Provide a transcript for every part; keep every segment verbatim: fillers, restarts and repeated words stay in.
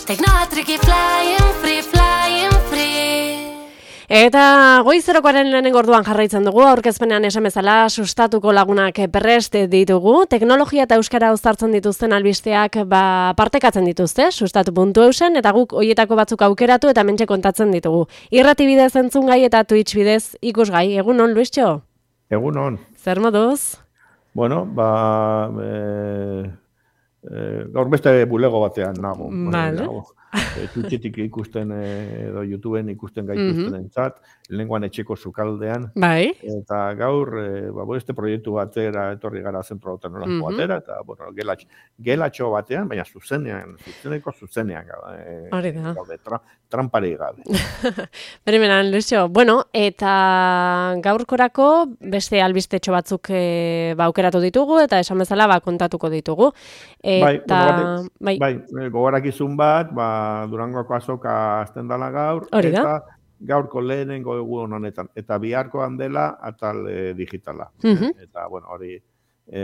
Teknoatriki flying free, flying free. Eta goizerokoaren lehenengo orduan jarraitzen dugu, aurkezpenean esan bezala sustatuko lagunak prest ditugu, teknologia eta euskara uztartzen dituzten albisteak ba, partekatzen dituzte, sustatu puntu eusen, eta guk hoietako batzuk aukeratu eta mentxe kontatzen ditugu. Irrati bidez entzun gai eta Twitch bidez ikusgai. Egun on, Luistxo? Egun on. Zer moduz? Bueno, ba... E, e, gaur beste bulego batean nago. Vale. E, Twitchetik ikusten edo YouTubeen ikusten gaituzten mm-hmm. entzat, lehenguan etxeko sukaldean. Bai. Eta gaur, e, ba, beste proiektu batera, etorri gara zentro teknologiko mm-hmm. batera, eta, bueno, gelatxo, gelatxo batean, baina zuzenean, zuzeneko zuzenean Hori da. Gaude, tra, trampari gabe. Berimenan, Luisio, bueno, eta gaurkorako beste albistetxo batzuk e, ba, aukeratu ditugu, eta esan bezala ba, kontatuko ditugu. Eta, bai, bai, bai gogorakizun bat, ba, Durangoko azoka azten dela gaur, Hori da. eta gaurko lehenengo egun honetan, eta biharkoan dela atal e, digitala. Mm-hmm. Eta, bueno, hori e,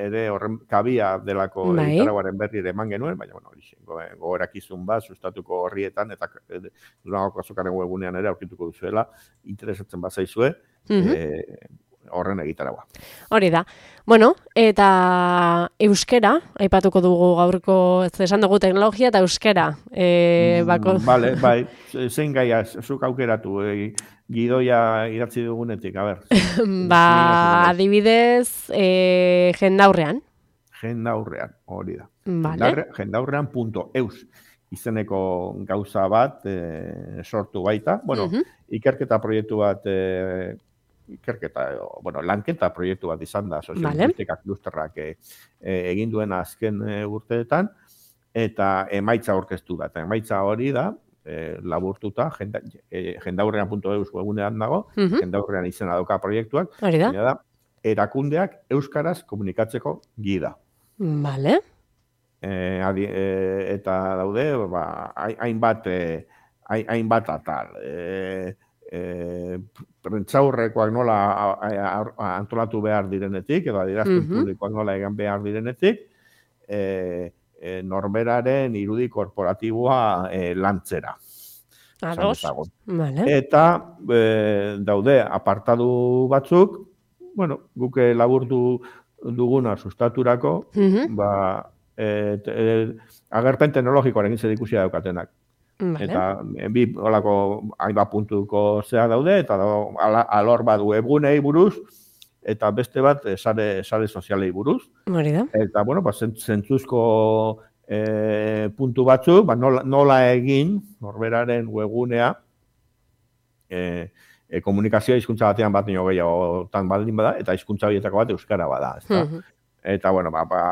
ere horren kabia delako bai. egitaraguaren berri ere eman genuen, baina, bueno, hori gogorakizun bat, sustatuko horrietan, eta e, Durangoko azokaren webunean ere aurkituko duzuela, interesatzen bazaizue, mm-hmm. e, horren egitaragua. Hori da. Bueno, eta euskera, aipatuko dugu gaurko, ez esan dugu teknologia eta euskera. E, bako... mm, vale, bai, zein gaia, zuk aukeratu, e, gidoia idatzi dugunetik, a ber. ba, adibidez, e, jendaurrean. Jendaurrean, hori da. Vale. Jendaurrean punto eus izeneko gauza bat e, sortu baita. Bueno, uh-huh. ikerketa proiektu bat e, ikerketa, bueno, lanketa proiektu bat izan da, soziolinguistika klusterrak e, e, egin duen azken e, urteetan, eta emaitza aurkeztu da. Eta emaitza hori da, e, laburtuta, jenda, e, jendaurrean punto eus webunean dago, uh-huh. jendaurrean izena dauka proiektuak, hori da. da, erakundeak euskaraz komunikatzeko gida. Vale. E, adi, e, eta daude, ba, hainbat e, hainbat atal. E, E, prentsaurrekoak nola a, a, a, antolatu behar direnetik, edo adierazpen mm-hmm. publikoak nola egan behar direnetik, e, e, norberaren irudi korporatiboa e, lantzera. Ados. Vale. Eta e, daude apartadu batzuk, bueno, guke laburtu duguna sustaturako, mm-hmm. ba, e, e, agerpen teknologikoaren zer ikusia daukatenak. Vale. Eta bi holako hainbat puntuko zea daude, eta da, alor bat webgunei buruz, eta beste bat sare, sare sozialei buruz. Hori da. Eta, bueno, ba, zentzuzko e, puntu batzuk, ba, nola, nola egin, norberaren webgunea, e, e, komunikazioa hizkuntza batean bat nio gehiagotan baldin bada, eta hizkuntza horietako bat euskara bada. Ezta? Mm-hmm. Eta, bueno, ba, ba,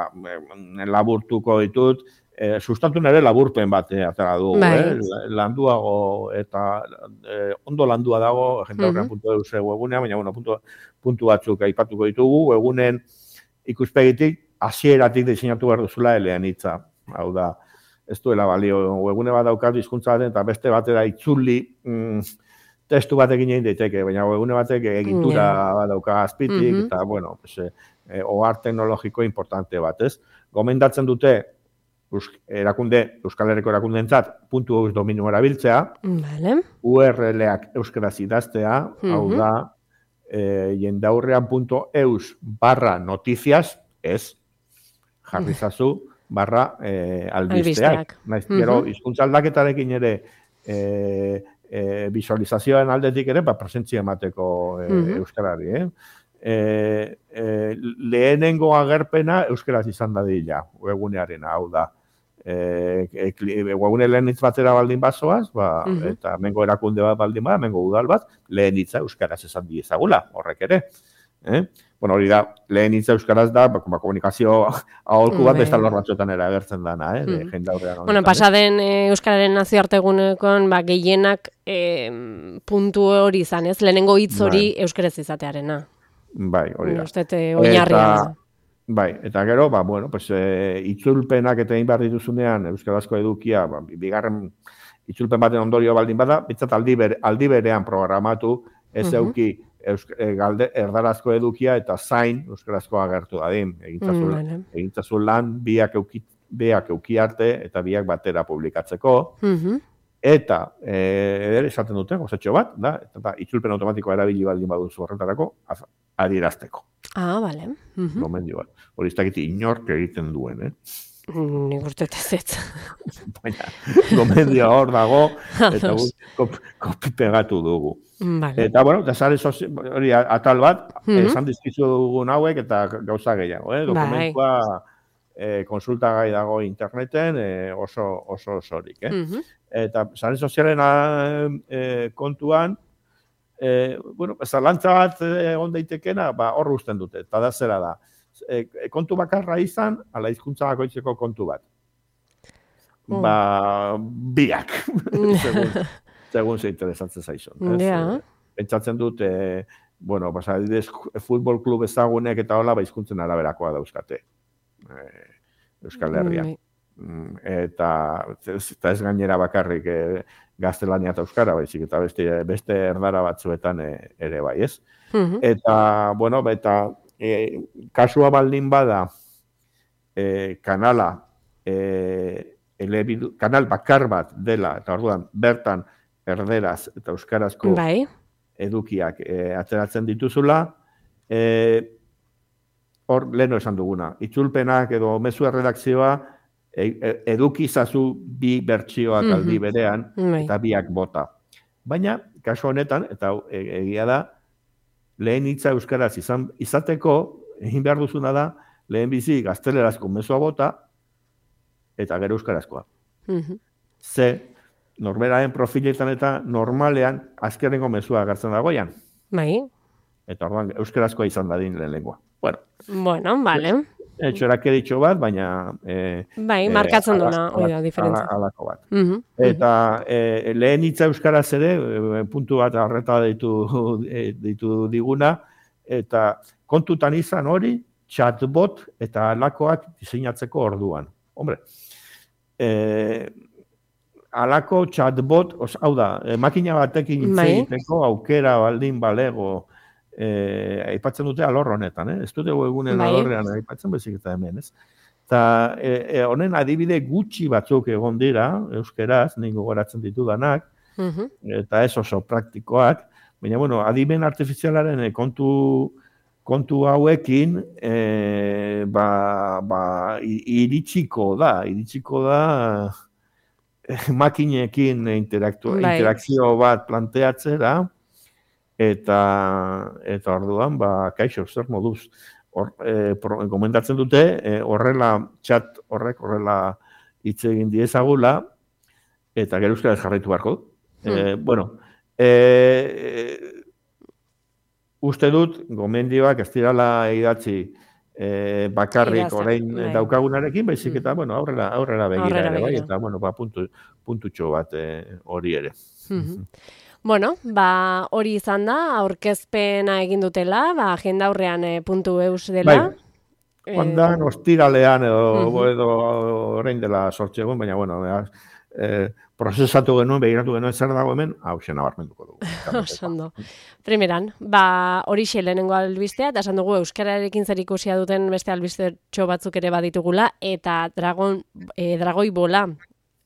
laburtuko ditut, E, sustatu nere laburpen bat e, atera du, eh? Landuago eta e, ondo landua dago jendaurrean puntu eus webunean, baina bueno, puntu, puntu batzuk aipatuko ditugu, webunen ikuspegitik hasieratik diseinatu behar duzula elean hitza. Hau da, ez duela balio, webune bat daukat hizkuntza baten eta beste batera itzuli mm, testu batekin egin daiteke, baina webune batek egitura yeah. bat dauka azpitik, mm-hmm. eta bueno, pues, e, ohar teknologiko importante bat, ez? Gomendatzen dute erakunde, Euskal Herriko erakundeentzat puntu eus dominio erabiltzea, vale. U R L-ak euskaraz idaztea, mm-hmm. hau da, e, jendaurrean punto eus barra noticias, ez, jarrizazu, barra e, albisteak. Naiz, mm-hmm. Gero, hizkuntza aldaketarekin ere, e, e, visualizazioen aldetik ere, ba, presentzia emateko e, mm-hmm. euskarari, eh? E, e, lehenengo agerpena euskaraz izan dadila, webunearen, hau da. E, e, webune lehen hitz batera baldin bazoaz, ba, uh-huh. eta mengo erakunde bat baldin bat, mengo udal bat, lehen hitza euskaraz esan diezagula, horrek ere. Eh? Bueno, hori da, lehen hitza euskaraz da, ba, komunikazio aholku bat, besta lor batzuetan ere agertzen dana, eh? Mm. Jendaurrean honetan. Bueno, pasaden e, euskararen nazioartegunekon, ba, gehienak e, puntu hori izan, ez? Lehenengo hitz hori bai. Euskaraz izatearena. Bai, hori da. Ustete, oinarria. Bai, eta gero, ba, bueno, pues, e, itzulpenak eta egin behar dituzunean, euskarazko edukia, ba, bigarren itzulpen baten ondorio baldin bada, bitzat aldi, ber, aldi berean programatu, ez uh-huh. euki eusk, e, galde, erdarazko edukia eta zain euskarazko agertu dadin. Egintzazu, mm, egintzazu lan, biak eukit, biak euki arte eta biak batera publikatzeko. Mhm. Eta, eh, ere esaten dute, gozatxo bat, da, eta itzulpen automatikoa erabili baldin baduzu horretarako, az- adierazteko. Ah, bale. Mhm. Gomendio bat. Hori ez dakit inork egiten duen, eh? Nik uste ez ez. Baina, gomendio hor dago, eta kopi, kopi pegatu dugu. Vale. Eta, bueno, eta sare sozi- hori atal bat, Mhm. esan dizkizu dugun hauek eta gauza gehiago, eh? Dokumentua eh, konsultagai dago interneten eh, oso oso osorik, eh? Mhm. Eta sare sozialen eh, kontuan, eh, bueno, zalantza bat eh, egon daitekena, ba, hor uzten dute, eta da zera da. E, kontu bakarra izan, ala hizkuntza bakoitzeko kontu bat. Mm. Ba, biak, segun, segun ze interesatzen zaizun. ez? Ja. Eh, Pentsatzen dut, eh, bueno, pues, adibidez, futbol klub ezagunek eta hola, ba, hizkuntzen araberakoa dauzkate. Eh, Euskal Herrian. Bai. Mm, Eta, ez, eta ez gainera bakarrik eh, gaztelania eta euskara, baizik, eta beste, beste erdara batzuetan eh, ere bai, ez? Mhm. Eta, bueno, eta e, kasua baldin bada e, kanala, e, elebidu, kanal bakar bat dela, eta orduan bertan erderaz eta euskarazko Bai. edukiak e, ateratzen dituzula, e, hor leheno esan duguna, itzulpenak edo mezu erredakzioa e, e, edukizazu bi bertsioak Mhm. aldi berean, Bai. eta biak bota. Baina, kasu honetan, eta hau, e, egia da, lehen hitza euskaraz izan, izateko, egin behar duzuna da, lehen bizi gaztelerazko mezua bota, eta gero euskarazkoa. Mhm. Ze, norberaren profiletan eta normalean, azkenengo mezua agertzen dagoian. Bai. Eta orduan, euskarazkoa izan dadin lehen lengua. Bueno, Bueno, vale. etxorak editxo bat, baina... E, Bai, markatzen duna, hori da, diferentzia. Alako bat. Mhm. Eta e, lehen hitza euskaraz ere, e, puntu bat horreta ditu, e, ditu diguna, eta kontutan izan hori, chatbot eta alakoak diseinatzeko orduan. Hombre, e, alako chatbot, os, hau da, e, makina batekin hitz Bai. egiteko aukera baldin balego, e, aipatzen dute alor honetan, eh? Ez dute webgunen Bai. alorrean aipatzen bezik eta hemen, ez? Eta e, e, honen adibide gutxi batzuk egon dira, euskeraz, nik gogoratzen ditudanak, Mhm. eta ez oso praktikoak, baina, bueno, adimen artifizialaren e, kontu, kontu hauekin, e, ba, ba, i- iritsiko da, iritsiko da e, makinekin interaktu, Bai. interakzio bat planteatzera, eta, eta orduan, ba, kaixo, zer moduz, hor, e, pro, gomendatzen dute, e, horrela, chat horrek horrela hitz egin diezagula, eta gero euskaraz jarraitu beharko du. E, bueno, e, uste dut, gomendioak ez dirala idatzi e, bakarrik Idazten, orain bai. daukagunarekin, baizik eta, bueno, aurrera, aurrera begira Aurrera ere, bai, begira. eta, bueno, ba, puntu, puntutxo bat e, hori ere. Mhm. Bueno, ba, hori izan da, aurkezpena egin dutela, ba, agenda aurrean e, puntu eus dela. Bai. Joan ostiralean edo, Mhm. edo orain dela sortzi egun, baina, bueno, e, prozesatu genuen, begiratu genuen zer dago hemen, hau xena barmenduko dugu. Oso ondo. Primeran, ba, horixe lehenengo albistea, eta esan dugu euskararekin zer ikusia duten beste albistetxo batzuk ere baditugula, eta dragon, e, dragoi bola.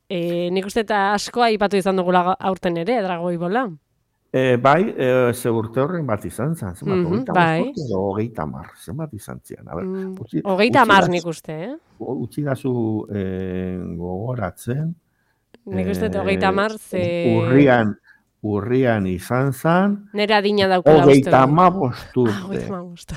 E, nik uste eta asko aipatu izan dugula ga- aurten ere, dragoi bola. E, bai, e, ze urte horren bat izan zen, zenbat, Mhm, hogeita bai. bost urte edo hogeita hamar, zenbat izan zian. A ber, Mm, utzi- Hogeita utzi hamar dazu- nik uste, eh? Utzi dazu e, gogoratzen. Nik uste dut eh, hogeita hamar, ze... Urrian, urrian izan zen, Nera adina daukula uste hogeita dut. hamabost Ah, urte. hogeita hamabost.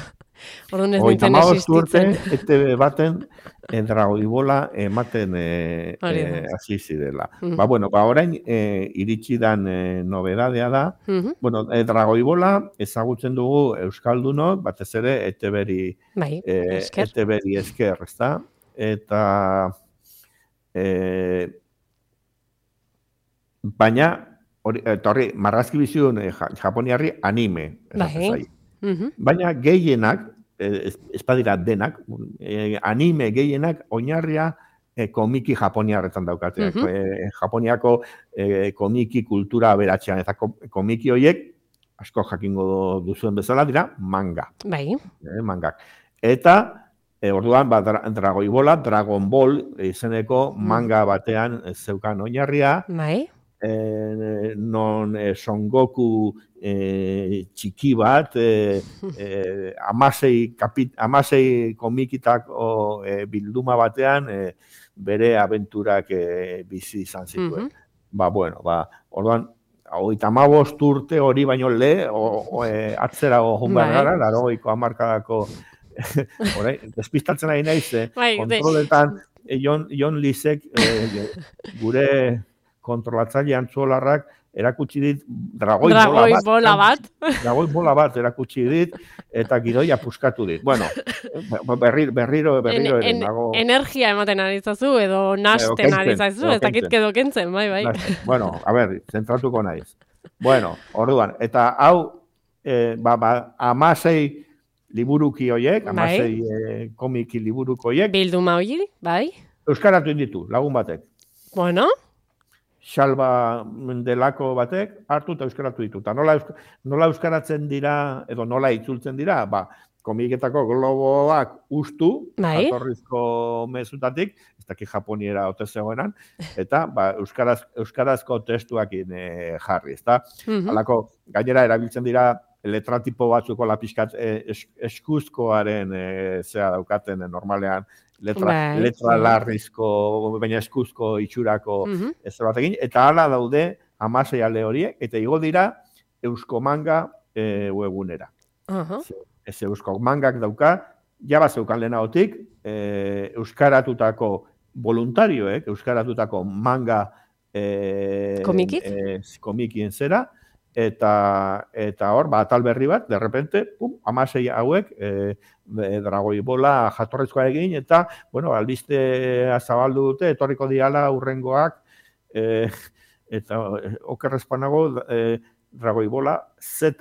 Orduan ez Hogeita nintzen hamabost urte, existitzen. E T B baten e, dragoibola ematen e, Hori da. e, hasi zirela. Mhm. Ba, bueno, ba, orain e, iritsi dan e, nobedadea da, Mhm. bueno, e, dragoibola ezagutzen dugu euskaldunok, batez ere E T B-ri Bai, e, esker. E T B-ri esker, ezta? Eta e, baina hori, eta horri, marrazki bizidun e, ja- japoniarri anime. esaten Bai. zaio. Mhm. Baina gehienak, eh, ez, ez badira denak, eh, anime gehienak oinarria eh, komiki japoniarretan daukateak. Mhm. eh, Japoniako eh, komiki kultura aberatzean, eta ko- komiki horiek, asko jakingo duzuen bezala dira, manga. Bai. Eh, mangak. Eta E, orduan, ba, dra, Dragoi Bola, Dragon Ball izeneko manga batean zeukan oinarria, Bai. e, non e, Son Goku e, txiki bat, e, e, amasei, kapit, amasei komikitako e, bilduma batean e, bere abenturak e, bizi izan zituen. Mhm. Ba, bueno, ba, orduan, hogeita hamabost urte hori baino le, o, o, e, atzerago joan behar Bai. gara, laurogeiko hamarkadako Horai, despistatzen ari naiz, eh, Bai, de- kontroletan eh, Jon, Jon Lisek eh, gure kontrolatzaile antzuolarrak erakutsi dit dragoi, Dragoi bola bat. bola bat. Dragoi bola bat erakutsi dit eta gidoia puskatu dit. Bueno, berriro, berriro, berriro En- ere en- nago. Energia ematen ari zazu edo nasten kentzen, ari zazu, edo ez dakit kentzen. edo kentzen, bai, bai. Bueno, a ber, zentratuko naiz. Bueno, orduan, eta hau, eh, ba, ba, amasei liburuki hoiek, Bai. amasei eh, komiki liburuko hoiek, Bilduma hori, bai. euskaratu inditu, lagun batek. Bueno, Salba delako batek hartu eta euskaratu ditu. Ta nola, eusk- nola euskaratzen dira, edo nola itzultzen dira, ba, komiketako globoak ustu, Bai. jatorrizko mezutatik, ez dakit japoniera ote zegoenan, eta ba, euskaraz, euskarazko testuakin e, jarri, ezta? mhm. Halako, gainera erabiltzen dira letratipo batzuko lapiskat e, es, eskuzkoaren e, zea daukaten e, normalean, letra, Bai, letra bai. larrizko, baina eskuzko itxurako Mhm. ez batekin, eta hala daude hamasei ale horiek, eta igo dira Eusko Manga e, webgunera. Aha. Ez Eusko Mangak dauka, jaba zeukan lehenagotik, e, euskaratutako voluntarioek, euskaratutako manga e, Komikik? e, komikien zera, eta eta hor, ba, atal berri bat, de repente, pum, hamasei hauek, e, Dragoi Bola jatorrezkoa egin, eta, bueno, albistea zabaldu dute, etorriko diala urrengoak, e, eta e, okerrezpanago, e, Dragoi Bola Z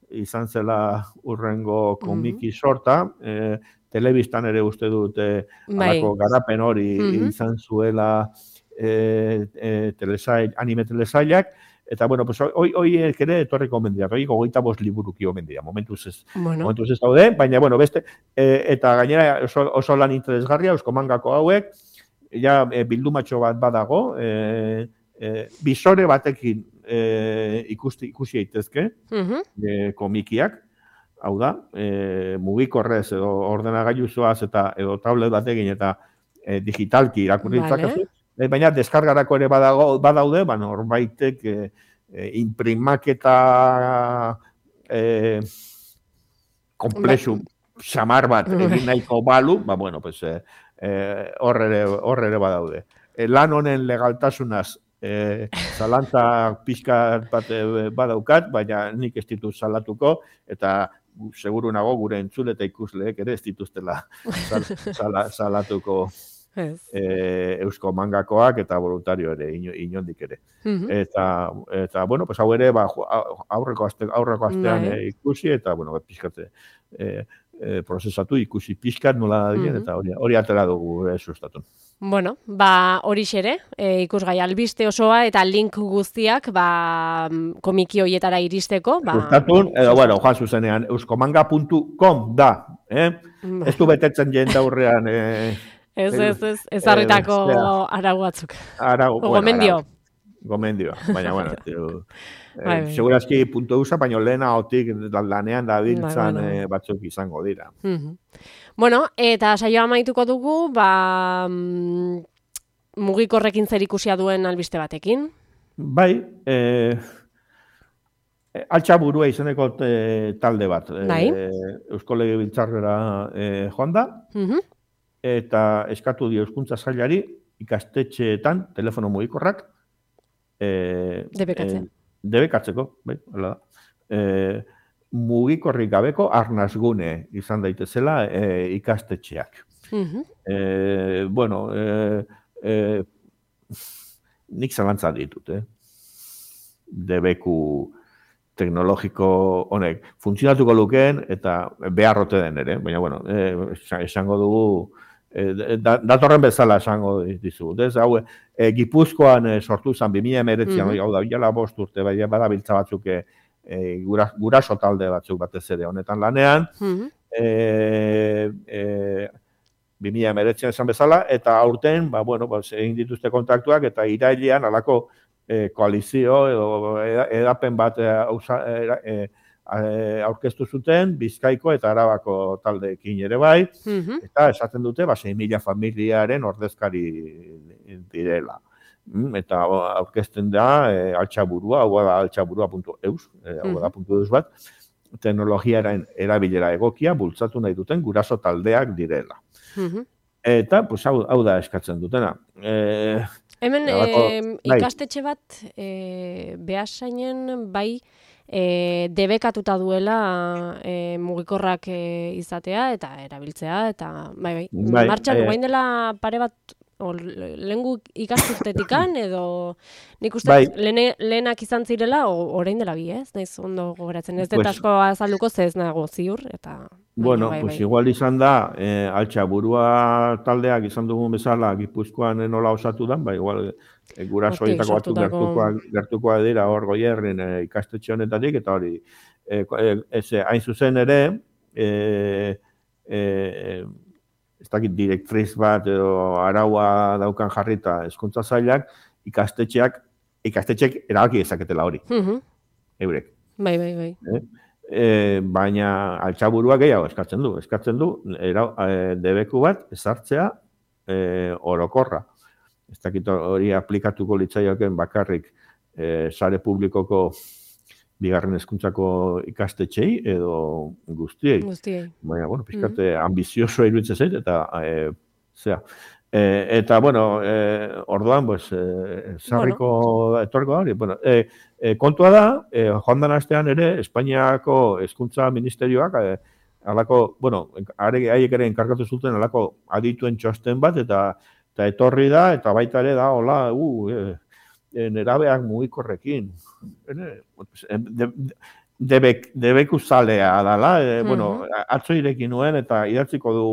izan zela urrengo komiki sorta, e, telebistan ere uste dute Bai. halako garapen hori Mhm. izan zuela e, e, telesail, anime telesailak, eta bueno, pues hoy hoy ere etorriko omen dira, hoy hogeita bost liburuki omen dira, momentuz ez. Bueno, Momentuz ez daude, baina bueno, beste e, eta gainera oso, oso lan interesgarria Eusko Mangako hauek, ja e, bildumatxo bat badago, e, e, bisore batekin e, ikusti ikusi daitezke mhm. e, komikiak, hau da, e, mugikorrez edo ordenagailu zoaz eta edo tablet batekin eta e, digitalki irakurri Vale. ditzakezu. E, baina deskargarako ere badago, badaude, ba, norbaitek e, e, imprimaketa e, komplexu xamar bat egin nahiko balu, ba, bueno, pues, e, e, hor ere, hor ere badaude. E, lan honen legaltasunaz e, zalantza pixka bat e, badaukat, baina nik ez ditut salatuko, eta seguru nago gure entzule eta ikusleek ere ez dituztela sal, sala, salatuko Ez. e, Eusko Mangakoak eta voluntario ere, ino, inondik ere. Mhm. Eta, eta bueno, pues hau ere, ba, aurreko, aste, aurreko astean Bai. e, ikusi, eta, bueno, pixkate e, e, prozesatu, ikusi pixkat nola da, Mhm. eta hori, hori atera dugu e, sustatun. Bueno, ba hori xere, e, ikusgai albiste osoa eta link guztiak ba komiki hoietara iristeko, ba Sustatun, edo, bueno, joan zuzenean, euskomanga puntu com da, eh? Ba. Ez du betetzen jende aurrean, eh, Ez, ez, ez, ezarritako Eh, zera. arau batzuk. arau, O gomendio. arau. Gomendio, baina, bueno, tio, Bai, eh, bai. segurazki puntu usa, baina lehenagotik lanean dabiltzan Bai, bueno. eh, batzuk izango dira. Mhm. Bueno, eta saioa amaituko dugu, ba mm, mugikorrekin zerikusia duen albiste batekin. Bai, eh, altxa burua izeneko eh, talde bat. Bai. Eh, Eusko Legebiltzarrera eh, joan da, Mhm. eta eskatu dio Hezkuntza Sailari ikastetxeetan telefono mugikorrak eh, Debekatzea. eh, debekatzeko, bai, hala da. Eh, mugikorrik gabeko arnasgune izan daitezela eh, ikastetxeak. Mhm. Eh, bueno, eh, eh, nik zalantza ditut, eh? Debeku teknologiko honek funtzionatuko lukeen eta beharrote den ere, baina bueno, eh, esango dugu eh, da, datorren bezala esango dizugu. Ez hau eh, Gipuzkoan eh, sortu zen bi mila hemeretzian, Mhm. hau da, jala bost urte, bai, badabiltza batzuk eh, eh, gura, guraso talde batzuk batez ere honetan lanean, Mhm. eh, eh, bi mila hemeretzian esan bezala, eta aurten, ba, bueno, ba, egin dituzte kontaktuak, eta irailean alako e, koalizio edo edapen bat e, ausa, e, e, aurkeztu zuten, Bizkaiko eta Arabako taldeekin ere bai, Mhm. eta esaten dute, ba, sei mila familiaren ordezkari direla. Mm, Eta aurkezten da e, altxaburua, hau da altxaburua puntu eus, e, hau da puntu eus bat, teknologiaren erabilera egokia bultzatu nahi duten guraso taldeak direla. Mhm. Eta, pues, hau, hau da eskatzen dutena. E, Hemen Halako- eh, bai. ikastetxe bat eh, Beasainen bai eh, debekatuta duela eh, mugikorrak eh, izatea eta erabiltzea eta bai bai, Bai, martxan eh, orain dela pare bat o, lehengu ikasturtetikan edo nik uste Bai. lehene, lehenak izan zirela o, orain dela bi, ez? Naiz ondo gogoratzen. Ez dut Pues- asko azalduko ze ez nago ziur eta baina Bueno, bai, pues bai. igual izan da, eh, altxaburua taldeak izan dugun bezala, Gipuzkoan nola osatu da, ba, igual e, guraso Hortik horietako batzuk sortutako- gertukoak, gertukoak dira hor goierrin e, ikastetxe honetatik, eta hori, e, ez, hain zuzen ere, e, e, ez dakit direktriz bat edo araua daukan jarrita hezkuntza sailak, ikastetxeak, ikastetxeak erabaki dezaketela hori, Mhm. eurek. Bai, bai, bai. E, baina altxaburua gehiago eskatzen du. Eskatzen du era, e, debeku bat ezartzea e, orokorra. Ez dakit hori aplikatuko litzaioken bakarrik e, sare publikoko bigarren hezkuntzako ikastetxei edo guztiei. Guztiei. Baina, bueno, pixkate ambizioso iruditzen zait, eta e, zea. E, eta, bueno, e, orduan, pues, e, sarriko etorko hori. Bueno, e, e, kontua da, e, joan den astean ere, Espainiako hezkuntza ministerioak, e, alako, bueno, are- haiek ere enkargatu zuten alako adituen txosten bat, eta eta etorri da, eta baita ere da, hola, uh, e, e, nerabeak mugikorrekin. Ene, de, debek, debeku zalea dala, e, bueno, atzo ireki nuen, eta idatziko du,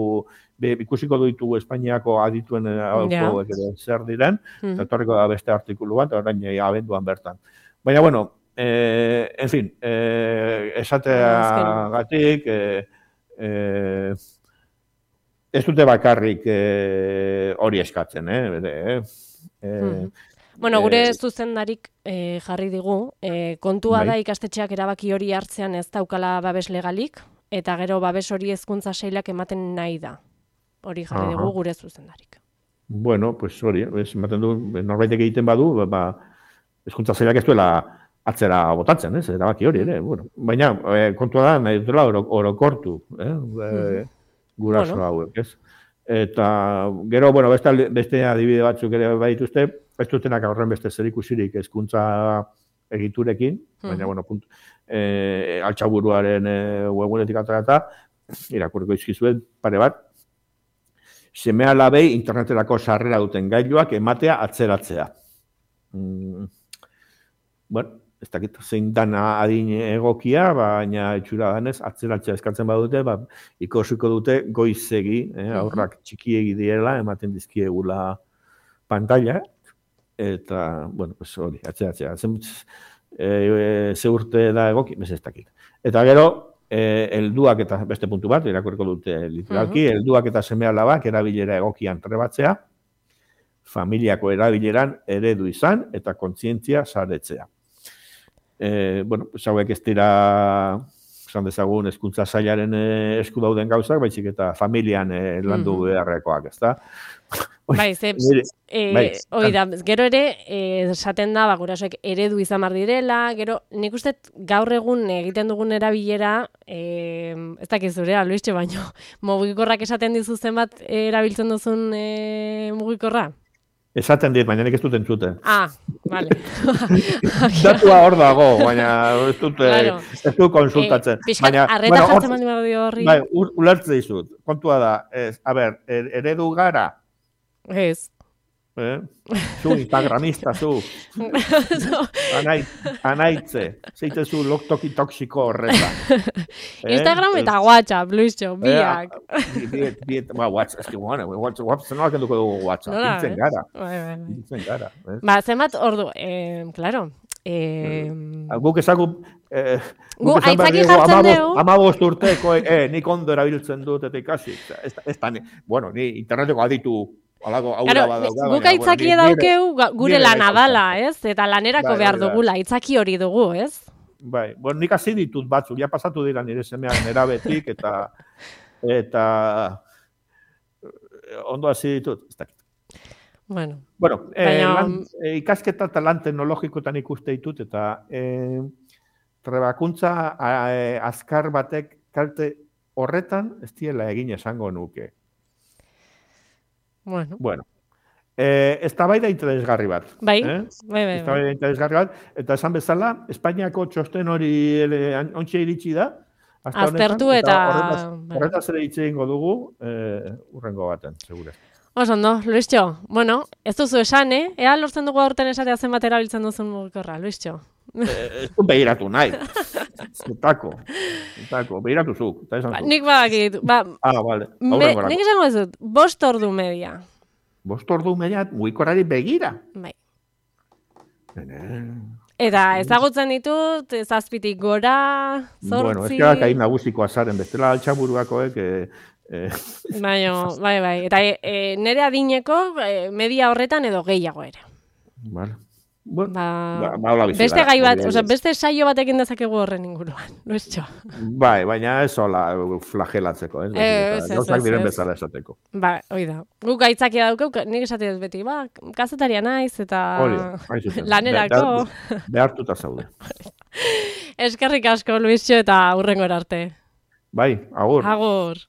be, ikusiko du ditugu Espainiako adituen hauek ere zer diren, eta etorriko da beste artikulu bat, orain e, abenduan bertan. Baina, bueno, e, en fin, e, esateagatik, e, e, ez dute bakarrik e, hori eskatzen, eh? Bere, eh? E, Bueno, gure Eh, zuzendarik eh, jarri digu, eh, kontua Bai. da ikastetxeak erabaki hori hartzean ez daukala babes legalik, eta gero babes hori hezkuntza sailak ematen nahi da. Hori jarri Aha. digu gure zuzendarik. Bueno, pues hori, ez, ematen du, norbaitek egiten badu, ba, ba, hezkuntza sailak ez duela atzera botatzen, ez, erabaki hori ere, bueno. Baina, e, kontua da, nahi dutela oro, orokortu, eh, e, guraso Bueno. hauek, ez. Eta, gero, bueno, beste, alde- beste adibide batzuk ere badituzte, ez dutenak horren beste zerikusirik hezkuntza egiturekin, baina, Mhm. bueno, puntu, e, altxaburuaren e, webunetik aterata, irakurriko izkizuet pare bat, seme alabei interneterako sarrera duten gailuak ematea atzeratzea. Mm, bueno, ez dakit zein dana adin egokia, baina itxura danez, atzeratzea eskatzen badute, ba, ikusiko dute goizegi, eh, aurrak txikiegi direla, ematen dizkiegula pantalla, eta, bueno, pues hori, atzeratzea. Zen, e, ze urte da egoki, bez ez dakit. Eta gero, eh, helduak eta beste puntu bat, irakurriko dute literalki, helduak eta seme alabak erabilera egokian trebatzea, familiako erabileran eredu izan eta kontzientzia saretzea. E, bueno, pues hauek ez dira, esan dezagun, hezkuntza sailaren eh, esku dauden gauzak, baizik eta familian eh, landu beharrekoak, ezta? Bai, ze, Nire- eh, bai, hori da, gero ere, eh, esaten da, ba, gurasoek eredu izan behar direla, gero, nik uste gaur egun egiten dugun erabilera, eh, ez dakiz zurea, Luistxo, baino, mugikorrak esaten dizu zenbat eh, erabiltzen duzun eh, mugikorra? Esaten dit, baina nik ez dut entzuten. Ah, vale. Datua hor dago, baina ez dut, eh, Claro. ez dut konsultatzen. Eh, pixkat, arreta bueno, hor- jartzen baldin badio horri. Bai, ur- ulertze dizut. Kontua da, ez, a ber, er- eredu gara, Ez. eh? Zu instagramista, zu, anait, anaitze, zeitezu loktoki toksiko horretan. Eh? Instagram eta WhatsApp, Luistxo, biak. Eh, biet, biet, ba, WhatsApp, eski, bueno, WhatsApp, WhatsApp, nola kenduko dugu WhatsApp, Nola, hiltzen eh? gara, Bai, bai, bai. hiltzen gara. Eh? Ba, zenbat ordu, eh, claro, E... Guk ezagu... Eh, Gu aitzaki jartzen dugu. Amabost urteko, eh, nik ondo erabiltzen dut eta ikasi. Ez, ez da, bueno, ni interneteko aditu alako aurra claro, badauka. Guk aitzaki bueno, daukeu gure lana dala, ez? Eta lanerako bai, behar bai, dugula, aitzaki hori dugu, ez? Bai, bueno, nik hasi ditut batzuk, ja pasatu dira nire semeak nerabetik, eta eta ondo hasi ditut, ez dakit. Bueno, bueno eh, baina... lan, eh, ikasketa eta lan teknologikotan ikuste ditut, eta eh, trebakuntza eh, azkar batek kalte horretan ez diela egin esango nuke. Bueno. Bueno. Eh, eztabaida interesgarri bat. Bai, eh? bai, bai. Eztabaida interesgarri bat. Eta esan bezala, Espainiako txosten hori ontsa iritsi da. Aztertu eta... Horretaz ere hitz egingo dugu, eh, urrengo baten, segure. Oso ondo, Luistxo. Bueno, ez duzu esan, eh? Ea lortzen dugu aurten esatea zenbat erabiltzen duzun mugikorra, Luistxo. Ez du behiratu nahi. Zutako. Zutako. Behiratu zuk. Ba, nik badakit. Ba, ah, bale. Nik esango ez dut, bost ordu media. Bost ordu media, mugikorrari begira. Bai. Eta ezagutzen ditut, zazpitik gora, zortzi... Bueno, ez gara kain nagusiko azaren, bestela altxaburuakoek... Eh, eh. Baina, bai, bai. Eta e, e, nire adineko e, media horretan edo gehiago ere. Vale. Bueno, ba, ba, ba, beste gai bat, oza, beste saio batekin dezakegu horren inguruan, Luistxo. Bai, baina ez hola flagelatzeko, ez? Ez, ez, ez, diren bezala esateko. Ba, hoi da. Guk gaitzakia daukeu, nik esate dut beti, ba, kazetaria naiz eta lanerako. Behartuta zaude. Eskerrik asko, Luistxo, eta hurrengora arte. Bai, agur. Agur.